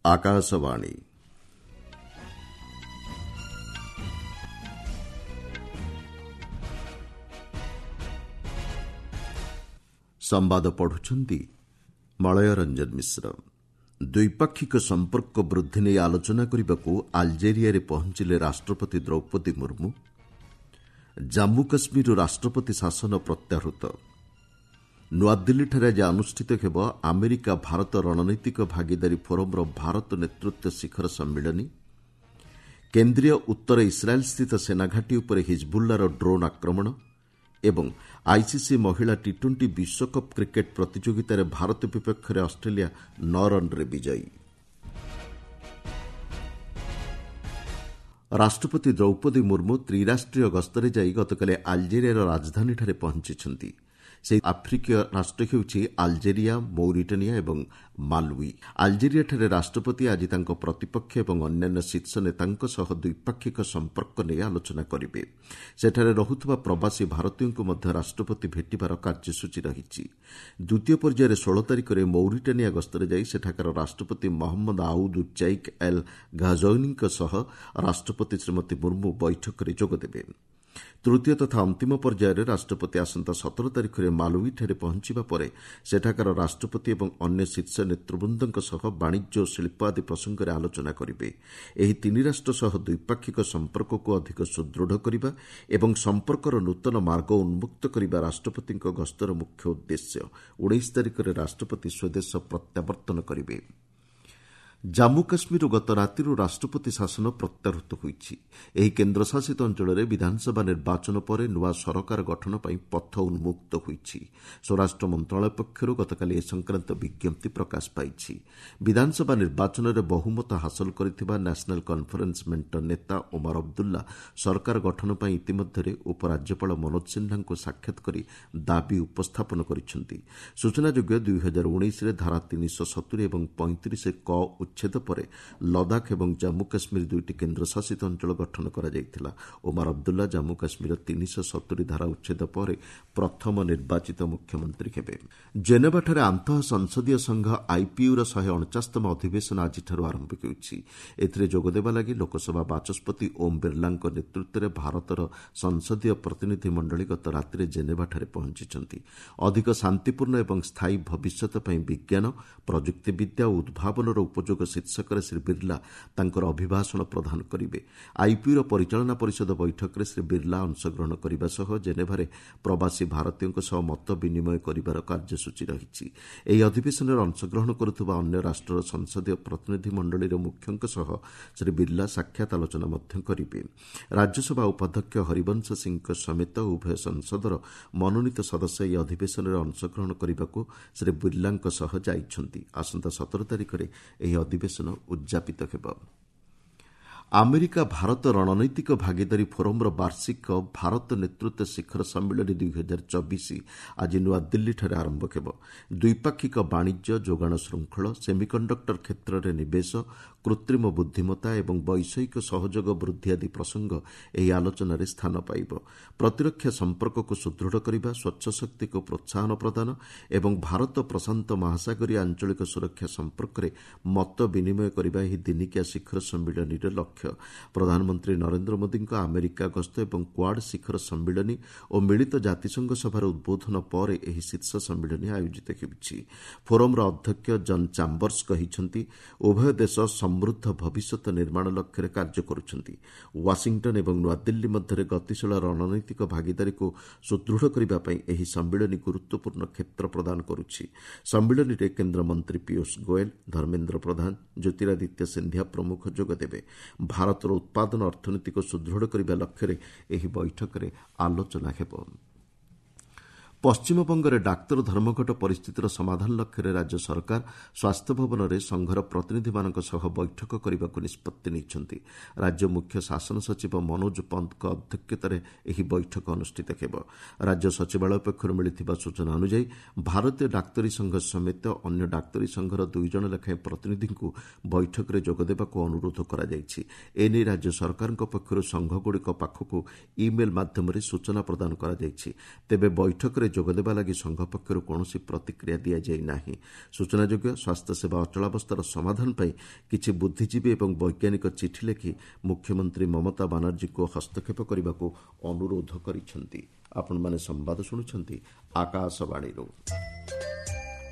ଆକାଶବାଣୀ। ସମ୍ବାଦ ପଢୁଛନ୍ତି ମଳୟ ରଞ୍ଜନ ମିଶ୍ର। ଦ୍ୱିପାକ୍ଷିକ ସମ୍ପର୍କ ବୃଦ୍ଧି ନେଇ ଆଲୋଚନା କରିବାକୁ ଆଲଜେରିଆରେ ପହଞ୍ଚିଲେ ରାଷ୍ଟ୍ରପତି ଦ୍ରୌପଦୀ ମୁର୍ମୁ। ଜାମ୍ମୁ କାଶ୍ମୀରରୁ ରାଷ୍ଟ୍ରପତି ଶାସନ ପ୍ରତ୍ୟାହୃତ। ନୂଆଦିଲ୍ଲୀଠାରେ ଆଜି ଅନୁଷ୍ଠିତ ହେବ ଆମେରିକା ଭାରତ ରଣନୈତିକ ଭାଗିଦାରୀ ଫୋରମ୍ର ଭାରତ ନେତୃତ୍ୱ ଶିଖର ସମ୍ମିଳନୀ। କେନ୍ଦ୍ରୀୟ ଉତ୍ତର ଇସ୍ରାଏଲ୍ସ୍ଥିତ ସେନାଘାଟି ଉପରେ ହିଜବୁଲ୍ଲାର ଡ୍ରୋନ୍ ଆକ୍ରମଣ ଏବଂ ଆଇସିସି ମହିଳା ଟି ଟ୍ୱେଣ୍ଟି ବିଶ୍ୱକପ୍ କ୍ରିକେଟ୍ ପ୍ରତିଯୋଗିତାରେ ଭାରତ ବିପକ୍ଷରେ ଅଷ୍ଟ୍ରେଲିଆ 9 ରନ୍ରେ ବିଜୟୀ। ରାଷ୍ଟ୍ରପତି ଦ୍ରୌପଦୀ ମୁର୍ମୁ ତ୍ରିରାଷ୍ଟ୍ରୀୟ ଗସ୍ତରେ ଯାଇ ଗତକାଲି ଆଲଜେରିଆର ରାଜଧାନୀଠାରେ ପହଞ୍ଚିଛନ୍ତି। ସେହି ଆଫ୍ରିକୀୟ ରାଷ୍ଟ୍ର ହେଉଛି ଆଲଜେରିଆ, ମୌରିଟାନିଆ ଏବଂ ମାଲୱି। ଆଲଜେରିଆଠାରେ ରାଷ୍ଟ୍ରପତି ଆଜି ତାଙ୍କ ପ୍ରତିପକ୍ଷ ଏବଂ ଅନ୍ୟାନ୍ୟ ଶୀର୍ଷ ନେତାଙ୍କ ସହ ଦ୍ୱିପାକ୍ଷିକ ସମ୍ପର୍କ ନେଇ ଆଲୋଚନା କରିବେ। ସେଠାରେ ରହୁଥିବା ପ୍ରବାସୀ ଭାରତୀୟଙ୍କୁ ମଧ୍ୟ ରାଷ୍ଟ୍ରପତି ଭେଟିବାର କାର୍ଯ୍ୟସୂଚୀ ରହିଛି। ଦ୍ୱିତୀୟ ପର୍ଯ୍ୟାୟରେ 16 ତାରିଖରେ ମୌରିଟାନିଆ ଗସ୍ତରେ ଯାଇ ସେଠାକାର ରାଷ୍ଟ୍ରପତି ମହମ୍ମଦ ଆଉଦ୍ ଚୈକ୍ ଏଲ୍ ଘାଜୌନିଙ୍କ ସହ ରାଷ୍ଟ୍ରପତି ଶ୍ରୀମତୀ ମୁର୍ମୁ ବୈଠକରେ ଯୋଗଦେବେ। ତୃତୀୟ ତଥା ଅନ୍ତିମ ପର୍ଯ୍ୟାୟରେ ରାଷ୍ଟ୍ରପତି ଆସନ୍ତା 17 ତାରିଖରେ ମାଲୱିଠାରେ ପହଞ୍ଚିବା ପରେ ସେଠାକାର ରାଷ୍ଟ୍ରପତି ଏବଂ ଅନ୍ୟ ଶୀର୍ଷ ନେତୃବୃନ୍ଦଙ୍କ ସହ ବାଣିଜ୍ୟ ଓ ଶିଳ୍ପ ଆଦି ପ୍ରସଙ୍ଗରେ ଆଲୋଚନା କରିବେ। ଏହି ତିନି ରାଷ୍ଟ୍ର ସହ ଦ୍ୱିପାକ୍ଷିକ ସମ୍ପର୍କକୁ ଅଧିକ ସୁଦୃଢ଼ କରିବା ଏବଂ ସମ୍ପର୍କର ନୂତନ ମାର୍ଗ ଉନ୍ମୁକ୍ତ କରିବା ରାଷ୍ଟ୍ରପତିଙ୍କ ଗସ୍ତର ମୁଖ୍ୟ ଉଦ୍ଦେଶ୍ୟ। 19 ତାରିଖରେ ରାଷ୍ଟ୍ରପତି ସ୍ୱଦେଶ ପ୍ରତ୍ୟାବର୍ତ୍ତନ କରିବେ। ଜାମ୍ମୁ କାଶ୍ମୀରରୁ ଗତ ରାତିରୁ ରାଷ୍ଟ୍ରପତି ଶାସନ ପ୍ରତ୍ୟାହୃତ ହୋଇଛି। ଏହି କେନ୍ଦ୍ରଶାସିତ ଅଞ୍ଚଳରେ ବିଧାନସଭା ନିର୍ବାଚନ ପରେ ନୂଆ ସରକାର ଗଠନ ପାଇଁ ପଥ ଉନ୍ମୁକ୍ତ ହୋଇଛି। ସ୍ୱରାଷ୍ଟ୍ର ମନ୍ତ୍ରଣାଳୟ ପକ୍ଷରୁ ଗତକାଲି ଏ ସଂକ୍ରାନ୍ତ ବିଜ୍ଞପ୍ତି ପ୍ରକାଶ ପାଇଛି। ବିଧାନସଭା ନିର୍ବାଚନରେ ବହୁମତ ହାସଲ କରିଥିବା ନ୍ୟାସନାଲ୍ କନ୍ଫରେନ୍ସ ମେଣ୍ଟ ନେତା ଓମାର ଅବଦୁଲ୍ଲା ସରକାର ଗଠନ ପାଇଁ ଇତିମଧ୍ୟରେ ଉପରାଜ୍ୟପାଳ ମନୋଜ ସିହ୍ନାଙ୍କୁ ସାକ୍ଷାତ କରି ଦାବି ଉପସ୍ଥାପନ କରିଛନ୍ତି। ସୂଚନାଯୋଗ୍ୟ, 2019ରେ ଧାରା 370 ଏବଂ 35 କ ଉଚ୍ଛେଦ ପରେ ଲଦାଖ ଏବଂ ଜାମ୍ମୁ କାଶ୍ମୀର ଦୁଇଟି କେନ୍ଦ୍ରଶାସିତ ଅଞ୍ଚଳ ଗଠନ କରାଯାଇଥିଲା। ଓମାର ଅବଦୁଲ୍ଲା ଜାମ୍ମୁ କାଶ୍ମୀରର 370 ଧାରା ଉଚ୍ଛେଦ ପରେ ପ୍ରଥମ ନିର୍ବାଚିତ ମୁଖ୍ୟମନ୍ତ୍ରୀ ହେବେ। ଜେନେଭାଠାରେ ଆନ୍ତଃ ସଂସଦୀୟ ସଂଘ ଆଇପିୟୁର 149ତମ ଅଧିବେଶନ ଆଜିଠାରୁ ଆରମ୍ଭ ହେଉଛି। ଏଥିରେ ଯୋଗଦେବା ଲାଗି ଲୋକସଭା ବାଚସ୍ପତି ଓମ୍ ବିର୍ଲାଙ୍କ ନେତୃତ୍ୱରେ ଭାରତର ସଂସଦୀୟ ପ୍ରତିନିଧି ମଣ୍ଡଳୀ ଗତ ରାତିରେ ଜେନେଭାଠାରେ ପହଞ୍ଚିଛନ୍ତି। ଅଧିକ ଶାନ୍ତିପୂର୍ଣ୍ଣ ଏବଂ ସ୍ଥାୟୀ ଭବିଷ୍ୟତ ପାଇଁ ବିଜ୍ଞାନ, ପ୍ରଯୁକ୍ତିବିଦ୍ୟା ଓ ଉଦ୍ଭାବନର ଉପଯୋଗ ଶୀର୍ଷକରେ ଶ୍ରୀ ବିର୍ଲା ତାଙ୍କର ଅଭିଭାଷଣ ପ୍ରଦାନ କରିବେ। ଆଇପିୟୁର ପରିଚାଳନା ପରିଷଦ ବୈଠକରେ ଶ୍ରୀ ବିର୍ଲା ଅଂଶଗ୍ରହଣ କରିବା ସହ ଜେନେଭାରେ ପ୍ରବାସୀ ଭାରତୀୟଙ୍କ ସହ ମତ ବିନିମୟ କରିବାର କାର୍ଯ୍ୟସୂଚୀ ରହିଛି। ଏହି ଅଧିବେଶନରେ ଅଂଶଗ୍ରହଣ କରୁଥିବା ଅନ୍ୟ ରାଷ୍ଟ୍ରର ସଂସଦୀୟ ପ୍ରତିନିଧି ମଣ୍ଡଳୀର ମୁଖ୍ୟଙ୍କ ସହ ଶ୍ରୀ ବିର୍ଲା ସାକ୍ଷାତ ଆଲୋଚନା ମଧ୍ୟ କରିବେ। ରାଜ୍ୟସଭା ଉପାଧ୍ୟକ୍ଷ ହରିବଂଶ ସିଂହଙ୍କ ସମେତ ଉଭୟ ସଂସଦର ମନୋନୀତ ସଦସ୍ୟ ଏହି ଅଧିବେଶନରେ ଅଂଶଗ୍ରହଣ କରିବାକୁ ଶ୍ରୀ ବିର୍ଲାଙ୍କ ସହ ଯାଇଛନ୍ତି। ଆସନ୍ତା 17 ତାରିଖରେ ଏହି ଅଧିବେଶନ ଉଦ୍ଯାପିତ ହେବ। ଆମେରିକା ଭାରତ ରଣନୈତିକ ଭାଗିଦାରୀ ଫୋରମ୍ର ବାର୍ଷିକ ଭାରତ ନେତୃତ୍ୱ ଶିଖର ସମ୍ମିଳନୀ 2024 ଆଜି ନୂଆଦିଲ୍ଲୀଠାରେ ଆରମ୍ଭ ହେବ। ଦ୍ୱିପାକ୍ଷିକ ବାଣିଜ୍ୟ, ଯୋଗାଣ ଶୃଙ୍ଖଳ, ସେମିକଣ୍ଡକ୍ଟର କ୍ଷେତ୍ରରେ ନିବେଶ, କୃତ୍ରିମ ବୁଦ୍ଧିମତ୍ତା ଏବଂ ବୈଷୟିକ ସହଯୋଗ ବୃଦ୍ଧି ଆଦି ପ୍ରସଙ୍ଗ ଏହି ଆଲୋଚନାରେ ସ୍ଥାନ ପାଇବ। ପ୍ରତିରକ୍ଷା ସମ୍ପର୍କକୁ ସୁଦୃଢ଼ କରିବା, ସ୍ୱଚ୍ଛ ଶକ୍ତିକୁ ପ୍ରୋତ୍ସାହନ ପ୍ରଦାନ ଏବଂ ଭାରତ ପ୍ରଶାନ୍ତ ମହାସାଗରୀୟ ଆଞ୍ଚଳିକ ସୁରକ୍ଷା ସମ୍ପର୍କରେ ମତ ବିନିମୟ କରିବା ଏହି ଦିନିକିଆ ଶିଖର ସମ୍ମିଳନୀର ଲକ୍ଷ୍ୟ। ପ୍ରଧାନମନ୍ତ୍ରୀ ନରେନ୍ଦ୍ର ମୋଦିଙ୍କ ଆମେରିକା ଗସ୍ତ ଏବଂ କ୍ୱାଡ୍ ଶିଖର ସମ୍ମିଳନୀ ଓ ମିଳିତ ଜାତିସଂଘ ସଭାରେ ଉଦ୍ବୋଧନ ପରେ ଏହି ଶୀର୍ଷ ସମ୍ମିଳନୀ ଆୟୋଜିତ ହେଉଛି। ଫୋରମ୍ର ଅଧ୍ୟକ୍ଷ ଜନ୍ ଚାମ୍ବର୍ସ କହିଛନ୍ତି, ଉଭୟ ଦେଶ ସମୃଦ୍ଧ ଭବିଷ୍ୟତ ନିର୍ମାଣ ଲକ୍ଷ୍ୟରେ କାର୍ଯ୍ୟ କରୁଛନ୍ତି। ୱାଶିଂଟନ୍ ଏବଂ ନୂଆଦିଲ୍ଲୀ ମଧ୍ୟରେ ଗତିଶୀଳ ରଣନୈତିକ ଭାଗିଦାରୀକୁ ସୁଦୃଢ଼ କରିବା ପାଇଁ ଏହି ସମ୍ମିଳନୀ ଗୁରୁତ୍ୱପୂର୍ଣ୍ଣ କ୍ଷେତ୍ର ପ୍ରଦାନ କରୁଛି। ସମ୍ମିଳନୀରେ କେନ୍ଦ୍ରମନ୍ତ୍ରୀ ପୀୟୁଷ ଗୋଏଲ, ଧର୍ମେନ୍ଦ୍ର ପ୍ରଧାନ, ଜ୍ୟୋତିରାଦିତ୍ୟ ସିନ୍ଧିଆ ପ୍ରମୁଖ ଯୋଗଦେବେ। ଭାରତର ଉତ୍ପାଦନ ଅର୍ଥନୀତିକୁ ସୁଦୃଢ଼ କରିବା ଲକ୍ଷ୍ୟରେ ଏହି ବୈଠକରେ ଆଲୋଚନା ହେବ। ପଶ୍ଚିମବଙ୍ଗରେ ଡାକ୍ତର ଧର୍ମଘଟ ପରିସ୍ଥିତିର ସମାଧାନ ଲକ୍ଷ୍ୟରେ ରାଜ୍ୟ ସରକାର ସ୍ୱାସ୍ଥ୍ୟ ଭବନରେ ସଂଘର ପ୍ରତିନିଧିମାନଙ୍କ ସହ ବୈଠକ କରିବାକୁ ନିଷ୍ପତ୍ତି ନେଇଛନ୍ତି। ରାଜ୍ୟ ମୁଖ୍ୟ ଶାସନ ସଚିବ ମନୋଜ ପନ୍ତଙ୍କ ଅଧ୍ୟକ୍ଷତାରେ ଏହି ବୈଠକ ଅନୁଷ୍ଠିତ ହେବ। ରାଜ୍ୟ ସଚିବାଳୟ ପକ୍ଷରୁ ମିଳିଥିବା ସୂଚନା ଅନୁଯାୟୀ ଭାରତୀୟ ଡାକ୍ତରୀ ସଂଘ ସମେତ ଅନ୍ୟ ଡାକ୍ତରୀ ସଂଘର 2 ଜଣ ଲେଖାଏଁ ପ୍ରତିନିଧିଙ୍କୁ ବୈଠକରେ ଯୋଗଦେବାକୁ ଅନୁରୋଧ କରାଯାଇଛି। ଏନେଇ ରାଜ୍ୟ ସରକାରଙ୍କ ପକ୍ଷରୁ ସଂଘଗୁଡ଼ିକ ପାଖକୁ ଇମେଲ୍ ମାଧ୍ୟମରେ ସୂଚନା ପ୍ରଦାନ କରାଯାଇଛି। ତେବେ ବୈଠକରେ ଯୋଗଦେବା ଲାଗି ସଂଘ ପକ୍ଷରୁ କୌଣସି ପ୍ରତିକ୍ରିୟା ଦିଆଯାଇ ନାହିଁ। ସୂଚନାଯୋଗ୍ୟ, ସ୍ୱାସ୍ଥ୍ୟସେବା ଅଚଳାବସ୍ଥାର ସମାଧାନ ପାଇଁ କିଛି ବୁଦ୍ଧିଜୀବୀ ଏବଂ ବୈଜ୍ଞାନିକ ଚିଠି ଲେଖି ମୁଖ୍ୟମନ୍ତ୍ରୀ ମମତା ବାନାର୍ଜୀଙ୍କୁ ହସ୍ତକ୍ଷେପ କରିବାକୁ ଅନୁରୋଧ କରିଛନ୍ତି। ଆପଣମାନେ ସମ୍ବାଦ ଶୁଣୁଛନ୍ତି ଆକାଶବାଣୀରୁ।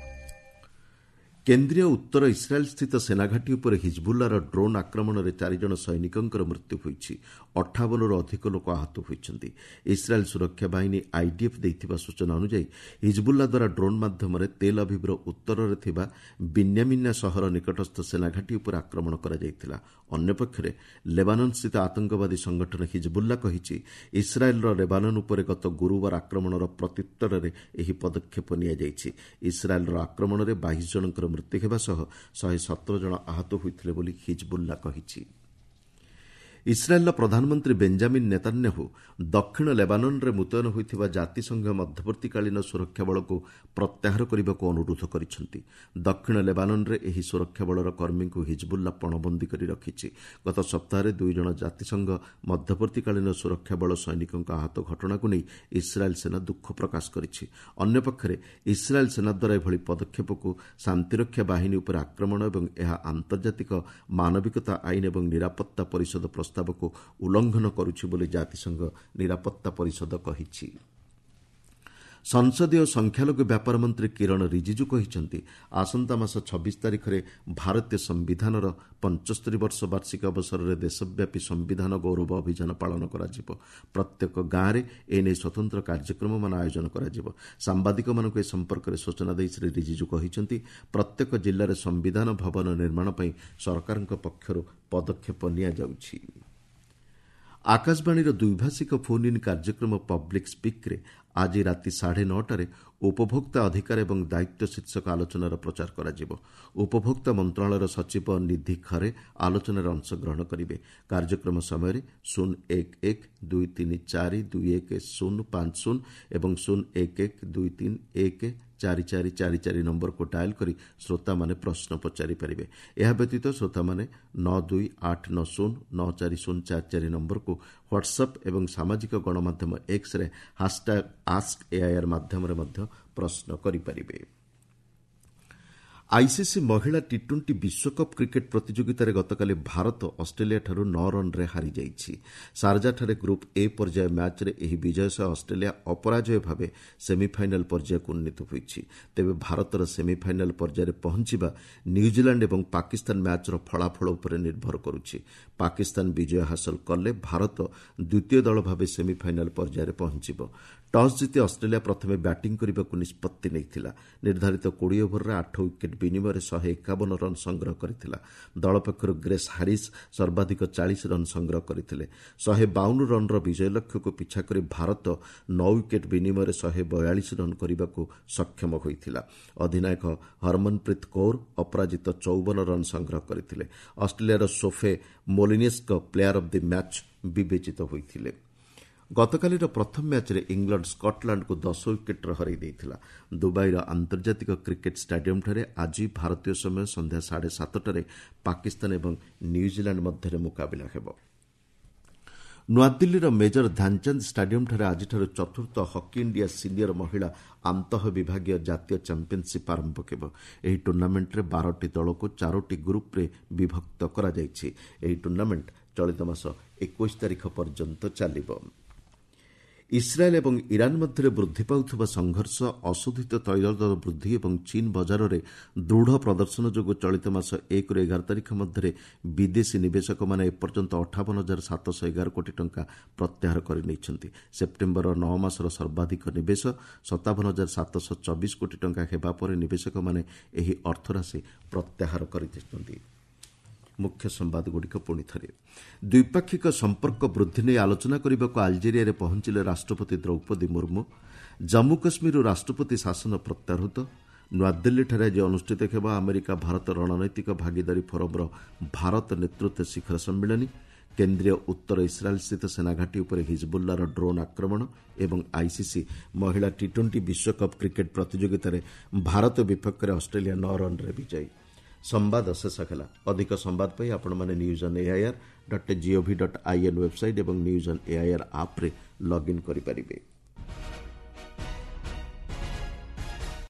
କେନ୍ଦ୍ରୀୟ ଉତ୍ତର ଇସ୍ରାଏଲ୍ସ୍ଥିତ ସେନାଘାଟି ଉପରେ ହିଜବୁଲ୍ଲାର ଡ୍ରୋନ୍ ଆକ୍ରମଣରେ 4 ଜଣ ସୈନିକଙ୍କର ମୃତ୍ୟୁ ହୋଇଛି। 58ରୁ ଅଧିକ ଲୋକ ଆହତ ହୋଇଛନ୍ତି। ଇସ୍ରାଏଲ୍ ସୁରକ୍ଷା ବାହିନୀ ଆଇଡିଏଫ୍ ଦେଇଥିବା ସୂଚନା ଅନୁଯାୟୀ, ହିଜବୁଲ୍ଲା ଦ୍ୱାରା ଡ୍ରୋନ୍ ମାଧ୍ୟମରେ ତେଲ୍ ଅଭିଭ୍ର ଉତ୍ତରରେ ଥିବା ବିନ୍ୟାମିନା ସହର ନିକଟସ୍ଥ ସେନାଘାଟି ଉପରେ ଆକ୍ରମଣ କରାଯାଇଥିଲା। ଅନ୍ୟପକ୍ଷରେ ଲେବାନନ୍ସ୍ଥିତ ଆତଙ୍କବାଦୀ ସଂଗଠନ ହିଜବୁଲ୍ଲା କହିଛି, ଇସ୍ରାଏଲ୍ର ଲେବାନନ୍ ଉପରେ ଗତ ଗୁରୁବାର ଆକ୍ରମଣର ପ୍ରତ୍ୟୁତ୍ତରରେ ଏହି ପଦକ୍ଷେପ ନିଆଯାଇଛି। ଇସ୍ରାଏଲ୍ର ଆକ୍ରମଣରେ 22 ଜଣଙ୍କର ମୃତ୍ୟୁ ହେବା ସହ 117 ଜଣ ଆହତ ହୋଇଥିଲେ ବୋଲି ହିଜବୁଲ୍ଲା କହିଛି। ଇସ୍ରାଏଲ୍ର ପ୍ରଧାନମନ୍ତ୍ରୀ ବେଞ୍ଜାମିନ୍ ନେତାନ୍ୟାହୁ ଦକ୍ଷିଣ ଲେବାନନ୍ରେ ମୁତୟନ ହୋଇଥିବା ଜାତିସଂଘ ମଧ୍ୟବର୍ତ୍ତୀକାଳୀନ ସୁରକ୍ଷା ବଳକୁ ପ୍ରତ୍ୟାହାର କରିବାକୁ ଅନୁରୋଧ କରିଛନ୍ତି। ଦକ୍ଷିଣ ଲେବାନନ୍ରେ ଏହି ସୁରକ୍ଷା ବଳର କର୍ମୀଙ୍କୁ ହିଜବୁଲ୍ଲା ପଣବନ୍ଦୀ କରି ରଖିଛି। ଗତ ସପ୍ତାହରେ 2 ଜଣ ଜାତିସଂଘ ମଧ୍ୟବର୍ତ୍ତୀକାଳୀନ ସୁରକ୍ଷା ବଳ ସୈନିକଙ୍କ ଆହତ ଘଟଣାକୁ ନେଇ ଇସ୍ରାଏଲ୍ ସେନା ଦୁଃଖ ପ୍ରକାଶ କରିଛି। ଅନ୍ୟପକ୍ଷରେ ଇସ୍ରାଏଲ୍ ସେନା ଦ୍ୱାରା ଏଭଳି ପଦକ୍ଷେପକୁ ଶାନ୍ତିରକ୍ଷା ବାହିନୀ ଉପରେ ଆକ୍ରମଣ ଏବଂ ଏହା ଆନ୍ତର୍ଜାତିକ ମାନବିକତା ଆଇନ ଏବଂ ନିରାପତ୍ତା ପରିଷଦ ପ୍ରସ୍ତାବକୁ ଉଲ୍ଲଂଘନ କରୁଛି ବୋଲି ଜାତିସଂଘ ନିରାପତ୍ତା ପରିଷଦ କହିଛି। ସଂସଦୀୟ ସଂଖ୍ୟାଲଘୁ ବ୍ୟାପାର ମନ୍ତ୍ରୀ କିରଣ ରିଜିଜୁ କହିଛନ୍ତି, ଆସନ୍ତା ମାସ 26 ତାରିଖରେ ଭାରତୀୟ ସମ୍ବିଧାନର 75 ବର୍ଷ ବାର୍ଷିକ ଅବସରରେ ଦେଶବ୍ୟାପୀ ସମ୍ବିଧାନ ଗୌରବ ଅଭିଯାନ ପାଳନ କରାଯିବ। ପ୍ରତ୍ୟେକ ଗାଁରେ ଏନେଇ ସ୍ୱତନ୍ତ୍ର କାର୍ଯ୍ୟକ୍ରମମାନ ଆୟୋଜନ କରାଯିବ। ସାମ୍ବାଦିକମାନଙ୍କୁ ଏ ସମ୍ପର୍କରେ ସୂଚନା ଦେଇ ଶ୍ରୀ ରିଜିଜୁ କହିଛନ୍ତି, ପ୍ରତ୍ୟେକ ଜିଲ୍ଲାରେ ସମ୍ବିଧାନ ଭବନ ନିର୍ମାଣ ପାଇଁ ସରକାରଙ୍କ ପକ୍ଷରୁ ପଦକ୍ଷେପ ନିଆଯାଉଛି। ଆକାଶବାଣୀର ଦ୍ୱିଭାଷିକ ଫୋନ୍ ଇନ୍ କାର୍ଯ୍ୟକ୍ରମ ପବ୍ଲିକ୍ ସ୍ପିକ୍ରେ ଆଜି ରାତି 9:30ରେ ଉପଭୋକ୍ତା ଅଧିକାର ଏବଂ ଦାୟିତ୍ୱ ଶୀର୍ଷକ ଆଲୋଚନାର ପ୍ରଚାର କରାଯିବ। ଉପଭୋକ୍ତା ମନ୍ତ୍ରଣାଳୟର ସଚିବ ନିଧି ଖରେ ଆଲୋଚନାରେ ଅଂଶଗ୍ରହଣ କରିବେ। କାର୍ଯ୍ୟକ୍ରମ ସମୟରେ 01123421050 ଏବଂ 01123144444 ନମ୍ବରକୁ ଡାଏଲ୍ କରି ଶ୍ରୋତାମାନେ ପ୍ରଶ୍ନ ପଚାରିପାରିବେ। ଏହା ବ୍ୟତୀତ ଶ୍ରୋତାମାନେ 9289094044 ନମ୍ବରକୁ ହ୍ୱାଟ୍ସଆପ୍ ଏବଂ ସାମାଜିକ ଗଣମାଧ୍ୟମ ଏକ୍ସରେ ହାସ୍ଟ୍ୟାଗ୍ ଆସ୍କ ଏଆଇଆର୍ ମାଧ୍ୟମରେ ମଧ୍ୟ ପ୍ରଶ୍ନ କରିପାରିବେ। ଆଇସିସି ମହିଳା ଟି ଟ୍ୱେଣ୍ଟି ବିଶ୍ୱକପ୍ କ୍ରିକେଟ୍ ପ୍ରତିଯୋଗିତାରେ ଗତକାଲି ଭାରତ ଅଷ୍ଟ୍ରେଲିଆଠାରୁ 9 ରନ୍ରେ ହାରିଯାଇଛି। ସାରଜାଠାରେ ଗ୍ରୁପ୍ ଏ ପର୍ଯ୍ୟାୟ ମ୍ୟାଚ୍ରେ ଏହି ବିଜୟ ସହ ଅଷ୍ଟ୍ରେଲିଆ ଅପରାଜୟ ଭାବେ ସେମିଫାଇନାଲ୍ ପର୍ଯ୍ୟାୟକୁ ଉନ୍ନୀତ ହୋଇଛି। ତେବେ ଭାରତର ସେମିଫାଇନାଲ୍ ପର୍ଯ୍ୟାୟରେ ପହଞ୍ଚିବା ନ୍ୟୁଜିଲାଣ୍ଡ ଏବଂ ପାକିସ୍ତାନ ମ୍ୟାଚ୍ର ଫଳାଫଳ ଉପରେ ନିର୍ଭର କରୁଛି। ପାକିସ୍ତାନ ବିଜୟ ହାସଲ କଲେ ଭାରତ ଦ୍ୱିତୀୟ ଦଳ ଭାବେ ସେମିଫାଇନାଲ୍ ପର୍ଯ୍ୟାୟରେ ପହଞ୍ଚିବ। ଟସ୍ ଜିତି ଅଷ୍ଟ୍ରେଲିଆ ପ୍ରଥମେ ବ୍ୟାଟିଂ କରିବାକୁ ନିଷ୍ପତ୍ତି ନେଇଥିଲା। ନିର୍ଦ୍ଧାରିତ 20 ଓଭରରେ 8 ୱିକେଟ୍ ବିନିମୟରେ 151 ରନ୍ ସଂଗ୍ରହ କରିଥିଲା। ଦଳ ପକ୍ଷରୁ ଗ୍ରେସ୍ ହାରିସ୍ ସର୍ବାଧିକ 40 ରନ୍ ସଂଗ୍ରହ କରିଥିଲେ। 152 ରନ୍ର ବିଜୟ ଲକ୍ଷ୍ୟକୁ ପିଛା କରି ଭାରତ 9 ୱିକେଟ୍ ବିନିମୟରେ 142 ରନ୍ କରିବାକୁ ସକ୍ଷମ ହୋଇଥିଲା। ଅଧିନାୟକ ହରମନପ୍ରୀତ କୌର ଅପରାଜିତ 54 ରନ୍ ସଂଗ୍ରହ କରିଥିଲେ। ଅଷ୍ଟ୍ରେଲିଆର ସୋଫେ ମୋଲିନିସ୍କ ପ୍ଲେୟାର ଅଫ୍ the match ବିବେଚିତ ହୋଇଥିଲେ। ଗତକାଲିର ପ୍ରଥମ ମ୍ୟାଚ୍ରେ ଇଂଲଣ୍ଡ ସ୍କଟଲାଣ୍ଡକୁ 10 ୱିକେଟ୍ରେ ହରାଇ ଦେଇଥିଲା। ଦୁବାଇର ଆନ୍ତର୍ଜାତିକ କ୍ରିକେଟ୍ ଷ୍ଟାଡିୟମ୍ଠାରେ ଆଜି ଭାରତୀୟ ସମୟ ସନ୍ଧ୍ୟା 7:30ଟାରେ ପାକିସ୍ତାନ ଏବଂ ନ୍ୟୁଜିଲାଣ୍ଡ ମଧ୍ୟରେ ମୁକାବିଲା ହେବ। ନୂଆଦିଲ୍ଲୀର ମେଜର ଧ୍ୟାନଚାନ୍ଦ ଷ୍ଟାଡିୟମ୍ଠାରେ ଆଜିଠାରୁ ଚତୁର୍ଥ ହକି ଇଣ୍ଡିଆ ସିନିୟର ମହିଳା ଆନ୍ତଃ ବିଭାଗୀୟ ଜାତୀୟ ଚାମ୍ପିୟନ୍ସିପ୍ ଆରମ୍ଭ ହେବ। ଏହି ଟୁର୍ଣ୍ଣାମେଣ୍ଟରେ 12ଟି ଦଳକୁ ଚାରୋଟି ଗ୍ରୁପ୍ରେ ବିଭକ୍ତ କରାଯାଇଛି। ଏହି ଟୁର୍ଣ୍ଣାମେଣ୍ଟ ଚଳିତ ମାସ 21 ତାରିଖ ପର୍ଯ୍ୟନ୍ତ ଚାଲିବ। ଇସ୍ରାଏଲ୍ ଏବଂ ଇରାନ୍ ମଧ୍ୟରେ ବୃଦ୍ଧି ପାଉଥିବା ସଂଘର୍ଷ, ଅଶୋଧିତ ତୈଳ ଦର ବୃଦ୍ଧି ଏବଂ ଚୀନ୍ ବଜାରରେ ଦୃଢ଼ ପ୍ରଦର୍ଶନ ଯୋଗୁଁ ଚଳିତ ମାସ 1ରୁ 11 ତାରିଖ ମଧ୍ୟରେ ବିଦେଶୀ ନିବେଶକମାନେ ଏପର୍ଯ୍ୟନ୍ତ 58,711 କୋଟି ଟଙ୍କା ପ୍ରତ୍ୟାହାର କରିନେଇଛନ୍ତି। ସେପ୍ଟେମ୍ବର 9 ମାସର ସର୍ବାଧିକ ନିବେଶ 57,724 କୋଟି ଟଙ୍କା ହେବା ପରେ ନିବେଶକମାନେ ଏହି ଅର୍ଥରାଶି ପ୍ରତ୍ୟାହାର କରିଛନ୍ତି। ମୁଖ୍ୟ ସମ୍ବାଦଗୁଡ଼ିକ ପୁଣି ଥରେ। ଦ୍ୱିପାକ୍ଷିକ ସମ୍ପର୍କ ବୃଦ୍ଧି ନେଇ ଆଲୋଚନା କରିବାକୁ ଆଲଜେରିଆରେ ପହଞ୍ଚିଲେ ରାଷ୍ଟ୍ରପତି ଦ୍ରୌପଦୀ ମୁର୍ମୁ। ଜାମ୍ମୁ କାଶ୍ମୀରରୁ ରାଷ୍ଟ୍ରପତି ଶାସନ ପ୍ରତ୍ୟାହୃତ। ନୂଆଦିଲ୍ଲୀଠାରେ ଆଜି ଅନୁଷ୍ଠିତ ହେବ ଆମେରିକା ଭାରତ ରଣନୈତିକ ଭାଗିଦାରୀ ଫୋରମ୍ର ଭାରତ ନେତୃତ୍ୱ ଶିଖର ସମ୍ମିଳନୀ। କେନ୍ଦ୍ରୀୟ ଉତ୍ତର ଇସ୍ରାଏଲ୍ସ୍ଥିତ ସେନାଘାଟି ଉପରେ ହିଜବୁଲ୍ଲାର ଡ୍ରୋନ୍ ଆକ୍ରମଣ ଏବଂ ଆଇସିସି ମହିଳା ଟି ଟ୍ୱେଣ୍ଟି ବିଶ୍ୱକପ୍ କ୍ରିକେଟ୍ ପ୍ରତିଯୋଗିତାରେ ଭାରତ ବିପକ୍ଷରେ ଅଷ୍ଟ୍ରେଲିଆ 9 ରନ୍ରେ ବିଜୟୀ। ସମ୍ବାଦ ଶେଷ ହେଲା। ଅଧିକ ସମ୍ବାଦ ପାଇଁ ଆପଣମାନେ news on AIR.gov.in website ଏବଂ ନ୍ୟୁଜ୍ ଅନ୍ ଏଆଇଆର୍ ଆପ୍ରେ ଲଗ୍ଇନ୍ କରିପାରିବେ।